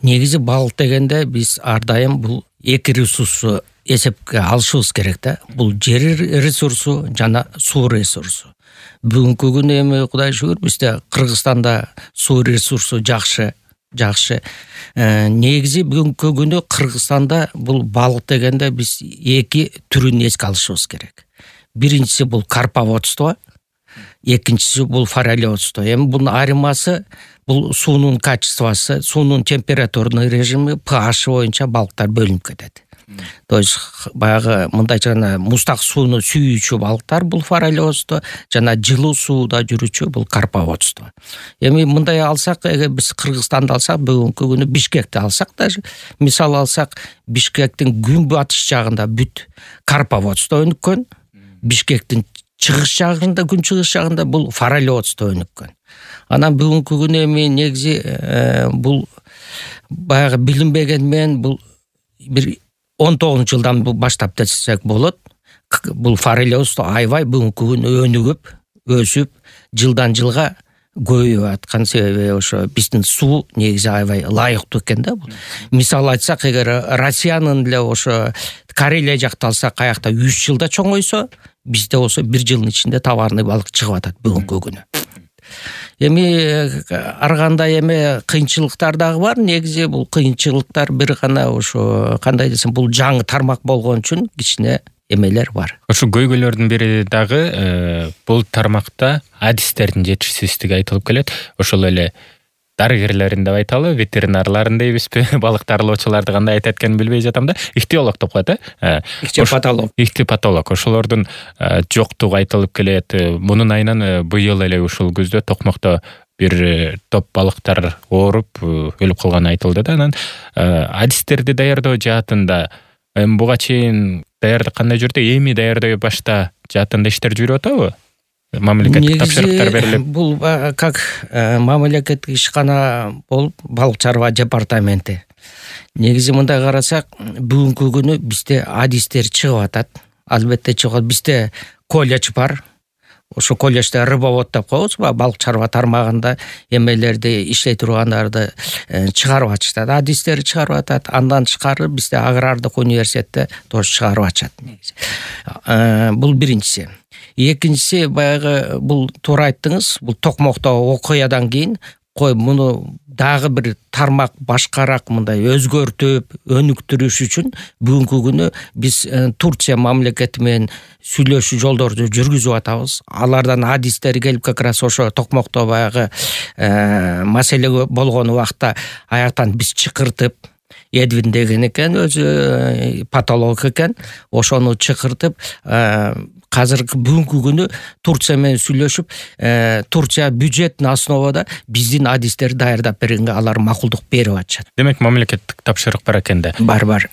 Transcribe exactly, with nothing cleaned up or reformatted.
негизи балык дегенде биз ар дайым бул эки ресурсту эсепке алышыбыз керек да. Бул жер ресурсу жана суу ресурсу. Бүгүнкү күнү эми Кудай шүгүр бизде Кыргызстанда суу ресурсу жакшы, жакшы. Э, негизи бүгүнкү күнү Кыргызстанда бул балык дегенде биз эки түрүн эске алышыбыз керек. Биринчиси бул карповодство, экинчиси бул форелеводство. Эми бунун айырмасы бул суунун качествосу, суунун температурный режими, pH боюнча балыктар бөлүнүп кетет. То есть баягы мындайча гана муздак сууну сүйүүчү балыктар бул форелеводство, жана жылуу сууда жүрүүчү бул карповодство. Эми мындай алсак, эгер биз Кыргызстанды алсак, бүгүнкү күнү Бишкекти алсак даже, мисал алсак, Бишкектин күнбатыш жагында бүт карповодство өнүккөн, Бишкектин чыгыш жагында, күнчыгыш жагында бул форелеводство өнүккөн. Анан бүгүнкү күнү эми негизи бул баягы билинбеген менен бул бир он тогузунчу жылдан баштап десек болот. Бул форелеводство аябай бүгүнкү күнү өнүгүп, өсүп, жылдан жылга көбөйүп аткан себеби ошо биздин суу негизи аябай ылайыктуу экен да бул. Мисал айтсак, эгер Россиянын эле ошо Карелия жакты алсак, аякта үч жылда чоңойсо, бизде болсо бир жылдын ичинде товарный балык чыгып атат бүгүнкү күнү. Эми ар кандай эме кыйынчылыктар дагы бар. Негизи бул кыйынчылыктар бир гана ошо кандай десем, бул жаңы тармак болгон үчүн кичине эмелер бар. Ошо көйгөйлөрдүн бири дагы бул тармакта адистердин жетишсиздиги айтылып келет. Ошол эле дарыгерлерин деп айталы, ветеринарларын дейбизби, балык дарылоочуларды кандай айтат экенин билбей жатам да. Ихтиолог деп коет, э? Ихтиопатолог. Ихтиопатолог. Ошолордун жоктугу айтылып келет. Мунун айынан быйыл эле ушул күздө Токмокто бир топ балыктар ооруп, өлүп калганы айтылды да. Анан адистерди даярдоо жаатында эми буга чейин даярдык кандай жүрдү? Эми даярдоо башта жаатында иштер жүрүп атабы? Мамлекеттик тапшырыктар берилип. Бул как мамлекеттик ишкана болуп балык чарба департаменти. Негизи мындай карасак, бүгүнкү күнү бизде адистер чыгып атат. Албетте чыгат. Бизде колледж бар. Ошо колледжде рыбовод деп коебуз, балык чарба тармагында эмелерди иштей тургандарды чыгарып атышат. Адистер чыгарып атат. Андан тышкары бизде агрардык университетте тоже чыгарып атышат негизи. Бул биринчиси. Экинчиси баягы бул туура айттыңыз, бул Токмокто окуядан кийин кой муну дагы бир тармак башкараак мындай өзгөртүп, өнүктүрүш үчүн бүгүнкү күнү биз Турция мамлекети менен сүйлөшүү жолдорду жүргүзүп атабыз. Алардан адистер келип как раз ошо Токмокто баягы маселе болгон убакта аяктан биз чакыртып, Эдвин деген экен, өзү патолог экен, ошону чакыртып, казыркы бүгүнкү күнү Турция менен сүйлөшүп, Турция бюджеттин основада биздин адистерди даярдап бергенге алар макулдук берип атышат. Демек мамлекеттик тапшырык бар экен да. Бар, бар.